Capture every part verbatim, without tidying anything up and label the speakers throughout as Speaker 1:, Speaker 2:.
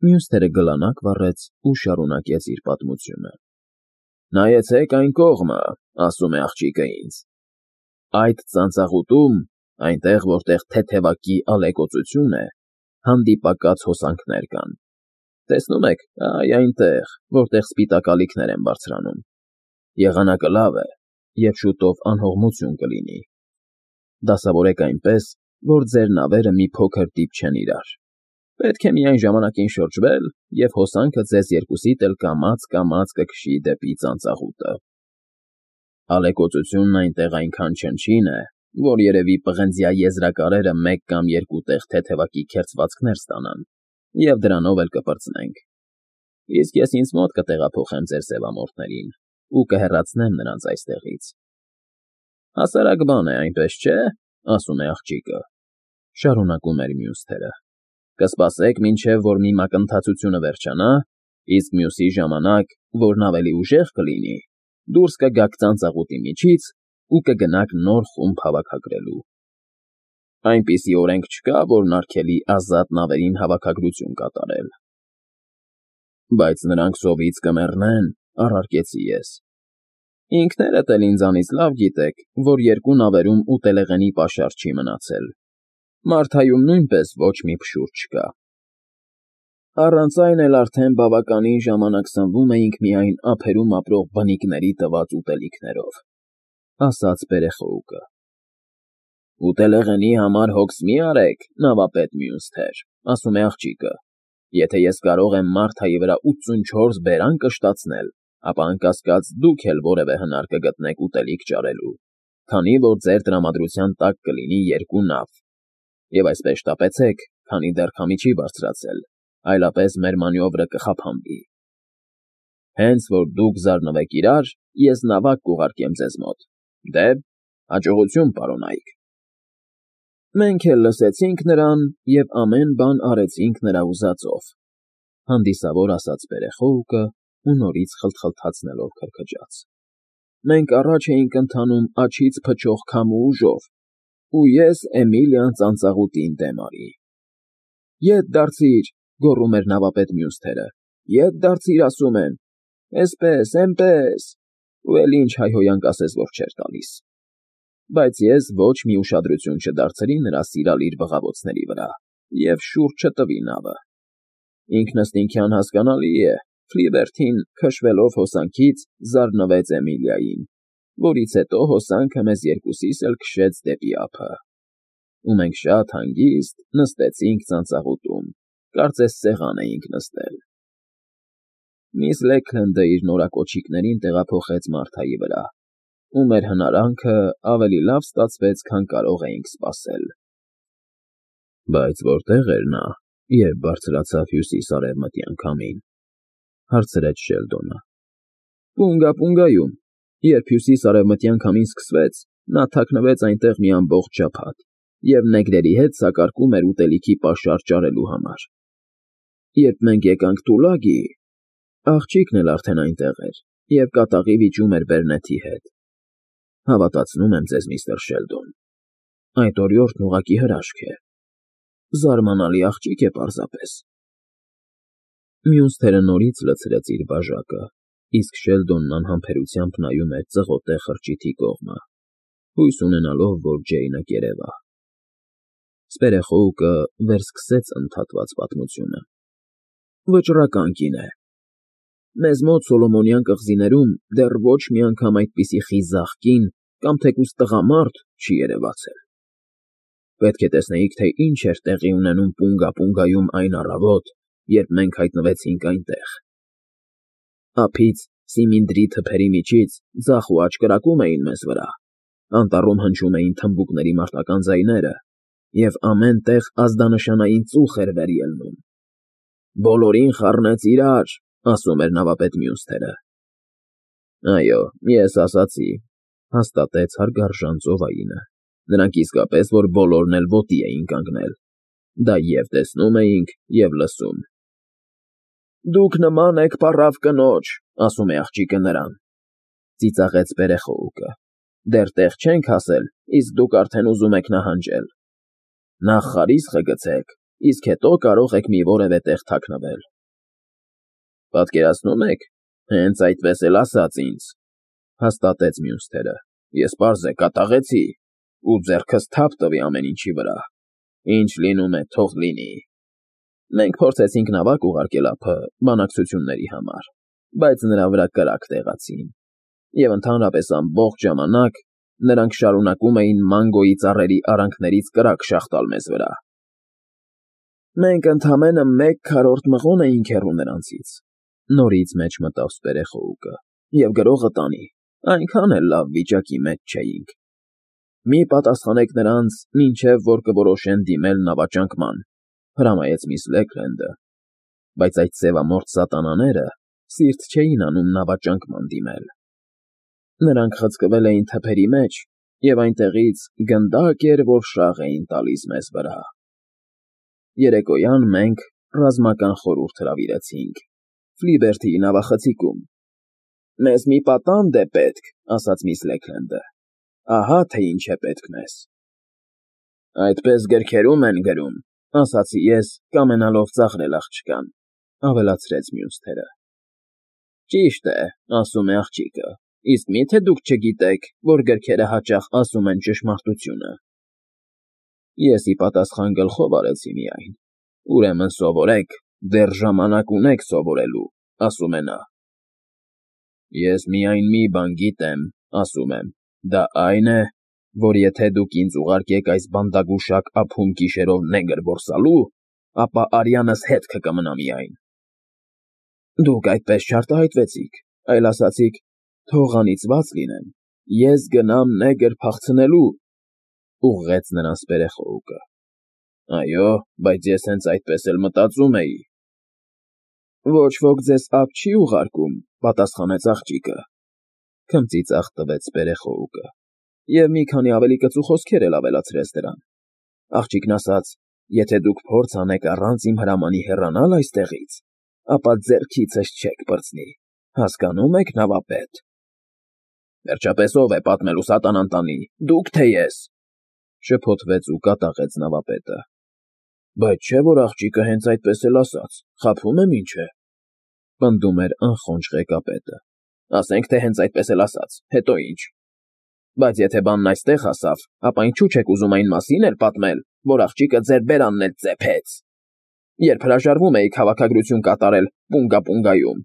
Speaker 1: Մյուսները գլանակ վառեց ու շարունակեց իր պատմությունը։ Նայեցեք այն կողմը, ասում է աղջիկը ինձ։ Այդ ծանծաղուտում, այնտեղ, որտեղ թեթևակի ալեկոծություն է, հանդիպակաց հոսանքներ կան։ Տեսնում եք, այ այնտեղ, որտեղ սպիտակ ալիքներ են բարձրանում։ Եղանակը լավ է, և շուտով անհողմություն կլինի։ Դասավորեք այնպես, որ ձեր նավերը մի փոքր դիպչեն իրար։ Պետք է միայն ժամանակին շրջվել, և հոսանքը ձեզ երկուսիդ էլ կամաց֊կամաց կքշի դեպի ծանծաղուտը։ Ալեկոծությունն այնտեղ այնքան չնչին է, որ երևի պղնձյա եզրակարերը մեկ կամ երկու տեղ թեթևակի քերծվածքներ ստանան, և դրանով էլ կպրծնենք։ Իսկ ես ինձ մոտ կտեղափոխեմ ձեր սևամորթներին ու կհեռացնեմ նրանց այստեղից։ Հասարակ բան է, այնպես չէ՞, ասում է աղջիկը, շարունակում էր մյուս թերը։ Կսպասեք, մինչև որ մի մակընթացությունը վերջանա, իսկ մյուսի ժամանակ, որն ավելի ուժեղ կլինի, դուրս կգաք ծանծաղուտի միջից ու կգնաք նոր խումբ հավաքագրելու։ Այնպիսի օրենք չկա, որն արգելի ազատ նավերին հավաքագրություն կատարել։ Բայց նրանք սովից կմեռնեն, առարկեցի ես։ Ինքներդ էլ ինձանից լավ գիտեք, որ երկու նավերում ուտելեղենի պաշար չի մնացել։ Մարթայում նույնպես ոչ մի փշուր չկա։ Առանց այն էլ արդեն բավականին ժամանակ սնվում էինք միայն ափերում ապրող բնիկների տված ուտելիքներով, ասաց երեխայուկը։ Ուտելեղենի համար հոգս մի արեք, նավապետ մյուս թեր, ասում է աղջիկը։ Եթե ես կարող եմ Մարթայի վրա ութսունչորս բերան կշտացնել, ապա անկասկած դուք էլ որևէ հնար կգտնեք ուտելիք ճարելու, քանի որ ձեր տրամադրության տակ կլինի երկու նավ։ Եվ այսպես շտապեցեք, քանի դեռ քամի չի բարձրացել, այլապես մեր մանյովրը կխափանվի։ Հենց որ դուք զարնվեք իրար, ես նավակ կուղարկեմ ձեզ մոտ։ Դե, հաջողություն, պարոնայք։ Մենք էլ լսեցինք նրան և ամեն բան արեցինք նրա ուզածով, հանդիսավոր ասաց երեխայուկը ու նորից խլթխլթացնելով քրքջաց։ Մենք առաջ էինք ընթանում աջից փչող քամու ուժով, ու ես Էմիլիան ծանծաղուտին դեմ արի։ Ետ դարձիր, գոռում էր նավապետ մյուս թերը, ետ դարձիր, ասում եմ, էսպես, էնպես, ու էլ ինչ հայհոյանք ասես, որ չէր տալիս։ Բայց ես ոչ մի ուշադրություն չդարձրի նրա սիրալիր բղավոցների վրա և շուռ չտվի նավը։ Ինքնըստինքյան հասկանալի է, Ֆլիվերթին, քշվելով հոսանքից, զարնվեց Էմիլիային, որից հետո հոսանքը մեզ երկուսիս էլ քշեց դեպի ափը։ Ու մենք շատ հանգիստ նստեցինք ծանծաղուտում, կարծես սեղան էինք նստել։ Միս Լեքլենդը իր նորակոչիկներին տեղափոխեց Մարթայի վրա, ու մեր հնարանքը ավելի լավ ստացվեց, քան կարող էինք սպասել։ Բայց որտե՞ղ էր նա, երբ բարձրացավ հյուսիս֊արևմտյան քամին, հարցրեց Շելդոնը։ Պունգա֊Պունգայում, երբ հյուսիս֊արևմտյան քամին սկսվեց, նա թաքնվեց այնտեղ մի ամբողջ ջափատ և նեգրերի հետ սակարկում էր ուտելիքի պաշար ճարելու համար։ Երբ մենք եկանք Տուլագի, աղջիկն էլ արդեն այնտեղ էր և կատաղի վիճում էր բերնեթի հետ։ Հավատացնում եմ ձեզ, միստր Շելդոն, այդ օրիորդն ուղղակի հրաշք է։ Զարմանալի աղջիկ է պարզապես։ Մյուս թերը նորից լցրեց իր բաժակը, իսկ Շելդոնն անհամբերությամբ նայում էր ծղոտե խրճիթի կողմը, հույս ունենալով, որ Ջեյնը կերևա։ Երեխայուկը վերսկսեց ընդհատված պատմությունը։ Վճռական կին է։ Մեզ մոտ Սոլոմոնյան կղզիներում դեռ ոչ մի անգամ այդպիսի խիզախ կին կամ թեկուզ տղամարդ չի երևացել։ Պետք է տեսնեիք, թե ինչ էր տեղի ունենում Պունգա֊Պունգայում այն առավոտ, երբ մենք հայտնվեցինք այնտեղ։ Ափից, սիմինդրի թփերի միջից ձախ ու աջ կրակում էին մեզ վրա, անտառում հնչում էին թմբուկների մարտական ձայները, և ամեն տեղ ազդանշանային ծուխ էր վեր ելնում։ Բոլորին խառնեց իրար, ասում էր նավապետ մյուս թերը։ Այո, ես ասացի, հաստատեց հարգարժան ծովայինը։ Նրանք իսկապես որ բոլորն էլ ոտի էին կանգնել։ Դա և տեսնում էինք, և լսում։ Դուք նման եք պառավ կնոջ, ասում է աղջիկը նրան, ծիծաղեց երեխայուկը։ Դեռ տեղ չենք հասել, իսկ դուք արդեն ուզում եք նահանջել։ Նախ խարիսխը գցեք, իսկ հետո կարող եք մի որևէ տեղ թաքնվել։ Պատկերացնում եք, հենց այդպես էլ ասաց ինձ, հաստատեց մյուս թերը։ Ես պարզ է կատաղեցի ու ձեռքս թափ տվի ամեն ինչի վրա։ Ինչ լինում է, թող լինի։ Մենք փորձեցինք նավակ ուղարկել ափը բանակցությունների համար, բայց նրա վրա կրակ տեղացին, և ընդհանրապես ամբողջ ժամանակ նրանք շարունակում էին մանգոյի ծառերի արանքներից կրակ շաղտալ մեզ վրա։ Մենք ընդամենը մեկ քառորդ մղոն էինք հեռու նրանցից, նորից մեջ մտավ Սպերեխոուկը, և գրողը տանի, այնքան էլ լավ վիճակի մեջ չէինք։ Մի պատասխանեք նրանց, մինչև որ կորոշեն դիմել նավաճանկման, հրամայեց միս Լեգլենդը, բայց այդ սևամորթ սատանաները սիրտ չէին անում նավաճանկման դիմել։ Նրանք խցկվել էին թփերի մեջ, և այնտեղից գնդակ էր, որ շաղ էին տալիս մեզ վրա։ Երեկոյան մենք ռազմական խորհուրդ հրավիրեցինք Ֆլիբերթիի նավախցիկում։ Մեզ մի պատանդ է պետք, ասաց միս Լեգլենդը, ահա թե ինչ է պետք մեզ։ Այդպես գրքերում են գրում, ասացի ես, կամենալով ծաղրել աղջկան, ավելացրեց մյուս թերը։ Ճիշտ է, ասում է աղջիկը, իսկ մի՞թե դուք չգիտեք, որ գրքերը հաճախ ասում են ճշմարտությունը։ Ես ի պատասխան գլխով արեցի միայն։ Ուրեմն սովորեք, դեռ ժամանակ ունեք սովորելու, ասում է նա։ Ես միայն մի բան գիտեմ, ասում եմ, դա այն է, որ եթե դուք ինձ ուղարկեք այս բանդագուշակ ափում գիշերով նեգր որսալու, ապա արյանս հետքը կմնա միայն։ Դուք այդպես չարտահայտվեցիք, այլ ասացիք, թող անիծված լինեմ, ես գնամ նեգր փախցնելու, ուղղեց նրան Սպերեխոուկը։ Այո, բայց ես հենց այդպես էլ մտածում էի։ Ոչ ոք ձեզ ափ չի ուղարկում, պատասխանեց աղջիկը, քմծիծաղ տվեց Սպերեխոուկը, և մի քանի ավելի կծու խոսքեր էլ ավելացրեց դրան։ Աղջիկն ասաց, եթե դուք փորձ անեք առանց իմ հրամանի հեռանալ այստեղից, ապա ձեռքիցս չեք պրծնի, հասկանո՞ւմ եք, նավապետ։ Վերջապես ով է պատմելու սատանան տանի, դուք թե ես, շփոթվեց ու կատաղեց նավապետը։ Բայց չէ՞ որ աղջիկը հենց այդպես էլ ասաց, խաբում եմ ինչ է, պնդում էր անխոնջ ղեկապետը։ Ասենք թե հենց այդպես էլ ասաց, հետո ինչ։ Բայց եթե բանն այստեղ հասավ, ապա ինչու չեք ուզում այն մասին էլ պատմել, որ աղջիկը ձեր բերանն էլ ծեփեց, երբ հրաժարվում էիք հավաքագրություն կատարել Պունգա֊Պունգայում,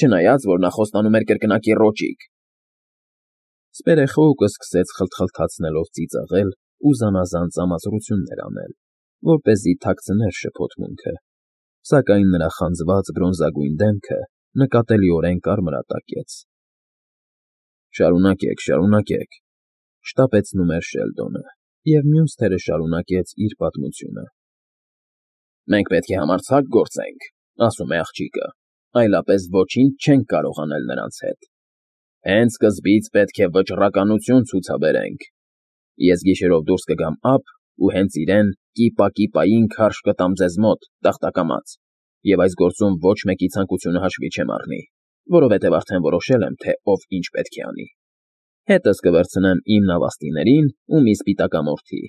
Speaker 1: չնայած որ նա խոստանում էր կրկնակի ռոճիկ։ Սպերեխոուկը սկսեց խլթխլթացնելով ծիծաղել ու զանազան ծամածրություններ անել, որպեսզի թաքցներ շփոթմունքը, սակայն նրա խանձված բրոնզագույն դեմքը նկատելիորեն կարմրատակեց։ Շարունակեք, շարունակեք, շտապեցնում էր Շելդոնը, և մյուս թերը շարունակեց իր պատմությունը։ Մենք պետք է համարձակ գործենք, ասում է աղջիկը, այլապես ոչինչ չենք կարող անել նրանց հետ։ Հենց սկզբից պետք է վճռականություն ցուցաբերենք։ Ես գիշերով դուրս կգամ ափ ու հենց իրեն կիպա֊կիպային քարշ կտամ ձեզ մոտ, տախտակամած, և այս գործում ոչ մեկի ցանկությունը հաշվի չեմ առնի, որովհետև արդեն որոշել եմ, թե ով ինչ պետք է անի։ Հետս կվերցնեմ իմ նավաստիներին ու մի սպիտակամորթի։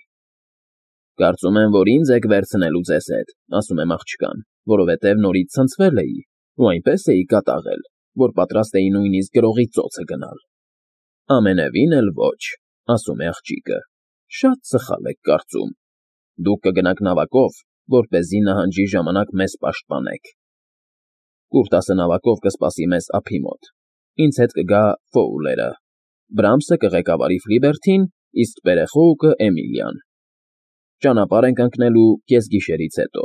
Speaker 1: Կարծում եմ, որ ինձ եք վերցնելու ձեզ հետ, ասում եմ աղջկան, որովհետև նորից ցնցվել էի ու այնպես էի կատաղել, որ պատրաստ էի նույնիսկ գրողի ծոցը գնալ։ Ամենևին էլ ոչ, ասում է աղջիկը, շատ սխալ եք կարծում։ Դուք կգնաք նավակով, որպեսզի նահանջի ժամանակ մեզ պաշտպանեք։ Կուրտասը նավակով կսպասի մեզ ափի մոտ։ Ինձ հետ կգա Ֆոուլերը, Բրամսը կղեկավարի Ֆլիբերթին, իսկ Սպերեխոուկը Էմիլիան։ Ճանապարհ ենք ընկնելու կեսգիշերից հետո։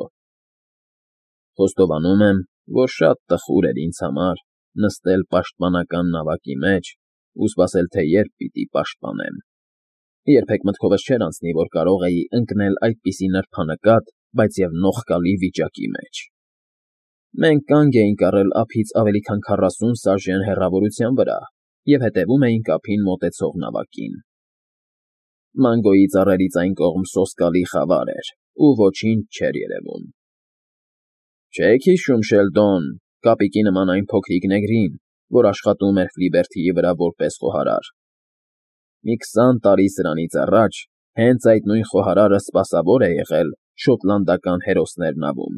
Speaker 1: Խոստովանում եմ, որ շատ տխուր էր ինձ համար նստել պաշտպանական նավակի մեջ ու սպասել, թե երբ պիտի պաշտպանեմ։ Երբեք մտքովս չէր անցնի, որ կարող էի ընկնել այդպիսի նրբանկատ, բայց և նողկալի վիճակի մեջ։ Մենք կանգ էինք առել ափից ավելի քան քառասուն սաժեն հեռավորության վրա և հետևում էինք ափին մոտեցող նավակին։ Մանգոյի ծառերից այն կողմ սոսկալի խավար էր ու ոչինչ չէր երևում։ Չե՞ք հիշում, Շելդոն, կապիկի նման այն փոքրիկ նեգրին, որ աշխատում էր Ֆլիբերթիի վրա որպես խոհարար։ Մի քսան տարի սրանից առաջ հենց այդ նույն խոհարարը սպասավոր է եղել շոտլանդական հերոսներն ավում,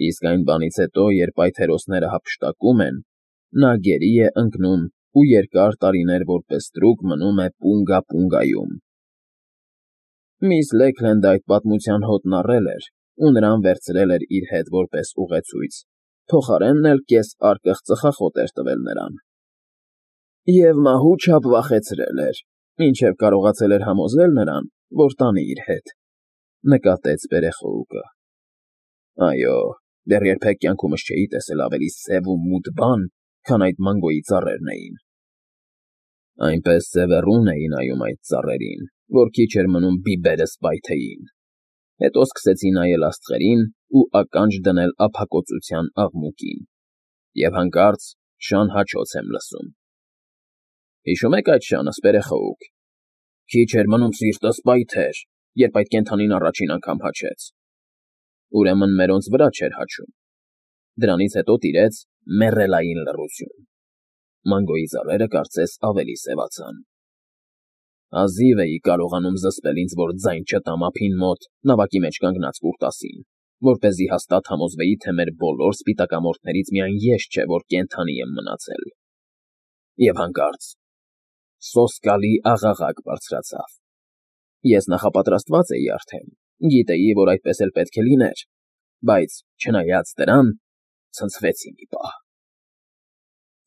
Speaker 1: իսկ այն բանից հետո, երբ այդ հերոսները հափշտակում են, նա գերի է ընկնում ու երկար տարիներ որպես տրուկ մնում է Պունգա֊Պունգայում։ Միս Լեքլենդը այդ պատմության հոտն առել էր ու նրան վերցրել էր իր հետ որպես ուղեցույց, փոխարենն էլ կես արկղ ծխախոտ էր տվել նրան։ Եվ մահու չափ վախեցրել էր, մինչև կարողացել էր համոզել նրան, որ տանի իր հետ, նկատեց երեխայուկը։ Այո, դեռ երբեք կյանքումս չէի տեսել ավելի սև ու մութ բան, քան այդ մանգոյի ծառերն էին։ Այնպես սևեռուն էի նայում այդ ծառերին, որ քիչ էր մնում բիբերս պայթեին, հետո սկսեցի նայել աստղերին ու ականջ դնել ափակոծության աղմուկին, և հանկարծ շան հաչոց եմ լսում։ Հիշո՞ւմ եք այդ շանը, սպերեխայուկ։ Քիչ էր մնում սիրտս պայթեր, երբ այդ կենդանին առաջին անգամ հաչեց։ Ուրեմն մերոնց վրա չէր հաչում։ Դրանից հետո տիրեց մեռելային լռություն։ Մանգոյի ծառերը կարծես ավելի սևացան։ Հազիվ էի կարողանում զսպել ինձ, որ ձայն չտամ ափին մոտ նավակի մեջ կանգնած կուրտասին, որպեսզի հաստատ համոզվեի, թե մեր բոլոր սպիտակամորթներից միայն ես չէ, որ կենդանի եմ մնացել։ Եվ հանկարծ սոսկալի աղաղակ բարձրացավ։ Ես նախապատրաստված էի արդեն, գիտեի, որ այդպես էլ պետք է լիներ, բայց, չնայած դրան, ցնցվեցի մի պահ։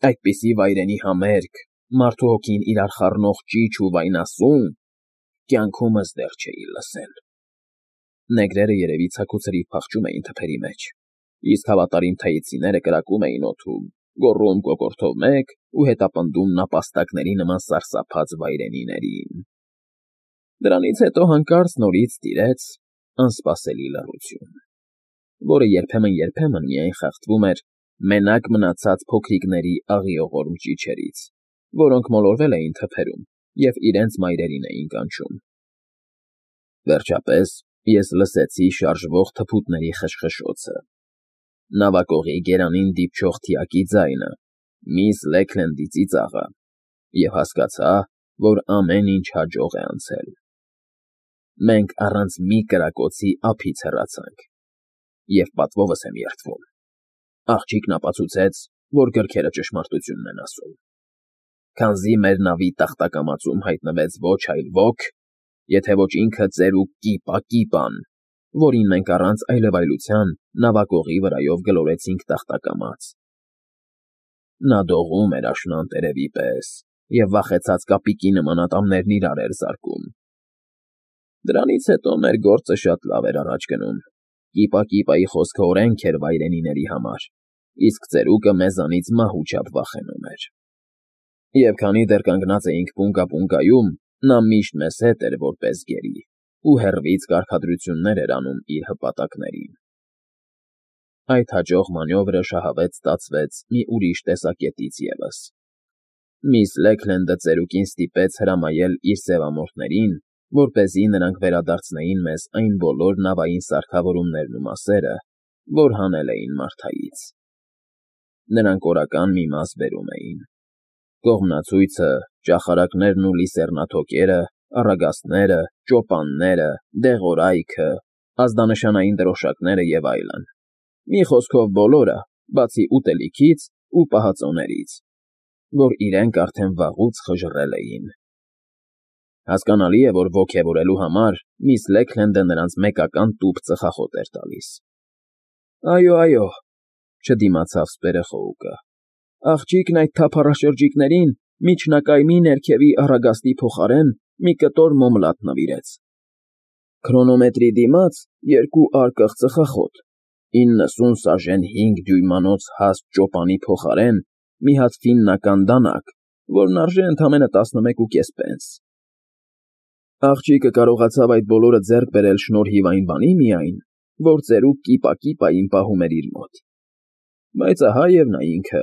Speaker 1: Այդպիսի վայրենի համերգ, մարդու հոգին իրար խառնող ճիչ ու վայնասուն կյանքումս դեռ չէի լսել։ Նեգրերը երևի ցաքուցրիվ փախչում էին թփերի մեջ, իսկ հավատարիմ թայեցիները կրակում էին օդում, գոռում կոկորդով մեկ ու հետապնդում նապաստակների նման սարսափած վայրենիներին։ Դրանից հետո հանկարծ նորից տիրեց անսպասելի լռություն, որը երբեմն֊երբեմն միայն խախտվում էր մենակ մնացած փոքրիկների աղիողորմ ճիչերից, որոնք մոլորվել էին թփերում և իրենց մայրերին էին կանչում։ Վերջապես ես լսեցի շարժվող թփուտների խշխշոցը, նավակողի գերանին դիպչող թիակի ձայնը, միս Լեքլենդի ծիծաղը, և հասկացա, որ ամեն ինչ հաջող է անցել։ Մենք առանց մի կրակոցի ափից հեռացանք, և պատվովս եմ երդվում։ Աղջիկն ապացուցեց, որ գրքերը ճշմարտությունն են ասում։ Քանզի մեր նավի տախտակամածում հայտնվեց ոչ այլ ոք, եթե ոչ ինքը ծերուկ Կիպա֊Կիպան, որին մենք առանց այլևայլության նավակողի վրայով գլորեցինք տախտակամաց։ Նա դողում էր աշնան տերևի պես և վախեցած կապիկի նման ատամներն իրար էր զարկում։ Դրանից հետո մեր գործը շատ լավ էր առաջ գնում։ Կիպա֊Կիպայի խոսքը օրենք էր վայրենիների համար, իսկ ծերուկը մեզանից մահու չափ վախենում էր։ Եվ քանի դեռ կանգնած էինք Պունգա֊Պունգայում, նա միշտ մեզ հետ էր որպես գերի ու հեռվից կարգադրություններ էր անում իր հպատակներին։ Այդ հաջող մանյովրը շահավետ ստացվեց մի ուրիշ տեսակետից ևս։ Միս Լեքլենդը ծերուկին ստիպեց հրամայել իր սևամորթներին, որպեսզի նրանք վերադարձնեին մեզ այն բոլոր նավային սարքավորումներն ու մասերը, որ հանել էին Մարթայից։ Նրանք օրական մի մաս բերում էին. կողմնացույցը, ճախարակներն ու լիսեռնաթոկերը, առագաստները, ճոպանները, դեղորայքը, ազդանշանային դրոշակները և այլն։ Մի խոսքով բոլորը, բացի ուտելիքից ու պահածոներից, որ իրենք արդեն վաղուց խժռել էին։ Հասկանալի է, որ ոգևորելու համար միս Լեքլենդը նրանց մեկական տուփ ծխախոտ էր տալիս։ Այո, այո, չդիմացավ սպերեխայուկը։ Աղջիկն այդ թափառաշրջիկներին միջնակայմի ներքևի առագաստի փոխարեն մի կտոր մոմլատ նվիրեց։ Քրոնոմետրի դիմաց երկու արկղ ծխախոտ, իննսուն սաժեն հինգ դյույմանոց հաստ ճոպանի փոխարեն մի հատ ֆիննական դանակ, որն արժե ընդամենը տասնմեկուկես պենս։ Աղջիկը կարողացավ այդ բոլորը ձեռք բերել շնորհիվ այն բանի միայն, որ ծերուկ Կիպա֊Կիպային պահում էր իր մոտ։ Բայց ահա և նա ինքը։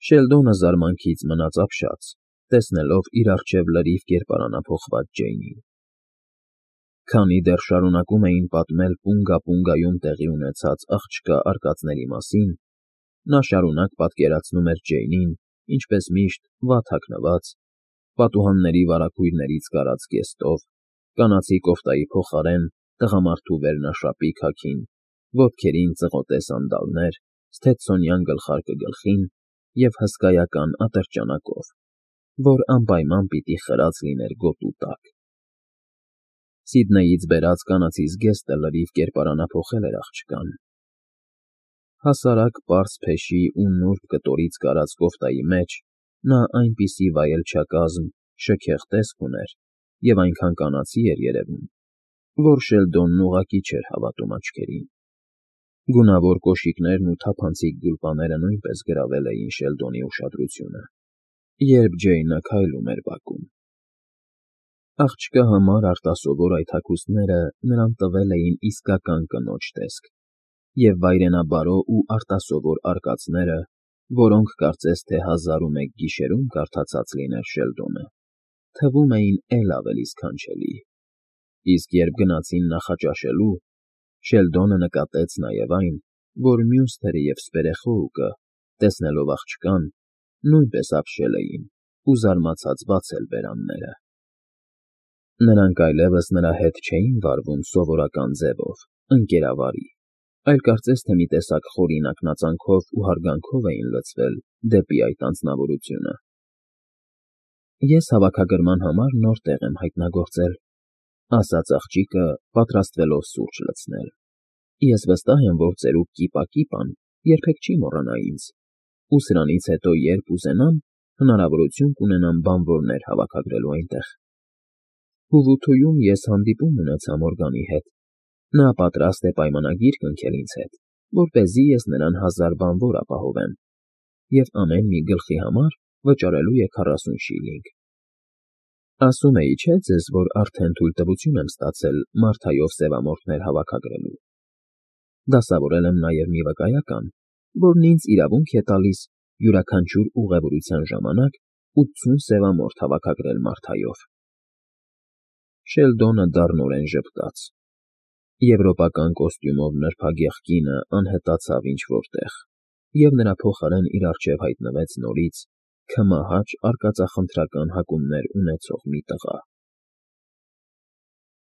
Speaker 1: Շելդոնը զարմանքից մնաց ապշած, տեսնելով իր առջև լրիվ կերպարանափոխված Ջեյնին։ Քանի դեռ շարունակում էին պատմել Պունգա֊Պունգայում տեղի ունեցած աղջկա արկածների մասին, նա շարունակ պատկերացնում էր Ջեյնին, ինչպես միշտ, վատ հագնված, պատուհանների վարագույրներից կարած կեստով, կանացի կոֆտայի փոխարեն տղամարդու վերնաշապի քաքին, ոտքերին ծղոտե սանդալներ, սթեցոնյան գլխարկը գլխին և հսկայական ատրճանակով, որ անպայման պիտի խրած լիներ գոտու տակ։ Սիդնեյից բերած կանացի զգեստը լրիվ կերպարանափոխել էր աղջկան։ Հասարակ պարզ փեշի ու նուրբ կտորից կարած կոֆտայի մեջ նա այնպիսի վայելչակազմ, շքեղ տեսք ուներ և այնքան կանացի էր երևում, որ Շելդոնն ուղղակի չէր հավատում աչքերին։ Գունավոր կոշիկներն ու թափանցիկ գուլպաները նույնպես գրավել էին Շելդոնի ուշադրությունը, երբ Ջեյնը քայլում էր բակում։ Աղջկա համար արտասովոր այդ հագուստները նրան տվել էին իսկական կնոջ տեսք, և վայրենաբարո ու արտասովոր արկածները, որոնք կարծես թե հազար ու մեկ գիշերում կարդացած լիներ Շելդոնը, թվում էին էլ ավելի սքանչելի, իսկ երբ գնացին նախաճաշելու, Շելդոնը նկատեց նաև այն, որ մյուս թեև սպերեխոուկը, տեսնելով աղջկան, նույնպես ապշել էին ու զարմացած բացել բերանները։ Նրանք այլևս նրա հետ չէին վարվում սովորական ձևով, ընկերավարի, այլ կարծես թե մի տեսակ խորին ակնածանքով ու հարգանքով էին լցվել դեպի այդ անձնավորությունը։ «Ես հավաքագրման համար նոր տեղ եմ հայտնագործել,֊ ասաց աղջիկը, պատրաստվելով սուրճ լցնել։֊ Ես վստահ եմ, որ ծերուկ Կիպակիպան երբեք չի մոռանա ինձ, ու սրանից հետո, երբ ուզենամ, հնարավորություն կունենամ բանվորներ հավաքագրելու այնտեղ։ Հուվութույում ես հանդիպում ունեցա Մորգանի հետ. նա պատրաստ է պայմանագիր կնքել ինձ հետ, որպեսզի ես նրան հազար բանվոր ապահովեմ և ամեն մի գլխի համար վճարելու է քառասուն շիլինգ։ Ասում էի չէ՞ ձեզ, որ արդեն թույլտվություն եմ ստացել Մարթայով սևամորթներ հավաքագրելու։ Դասավորել եմ նաև մի վկայական, որն ինձ իրավունք է տալիս յուրաքանչյուր ուղևորության ժամանակ ութսուն սևամորթ հավաքագրել Մարթայով։ Շելդոնը դառնորեն ժպտաց։ Եվրոպական կոստյումով նրբագեղ կինը անհետացավ ինչ֊որ տեղ, և նրա փոխարեն իր առջև հայտնվեց նորից քմահաճ արկածախնդրական հակումներ ունեցող մի տղա։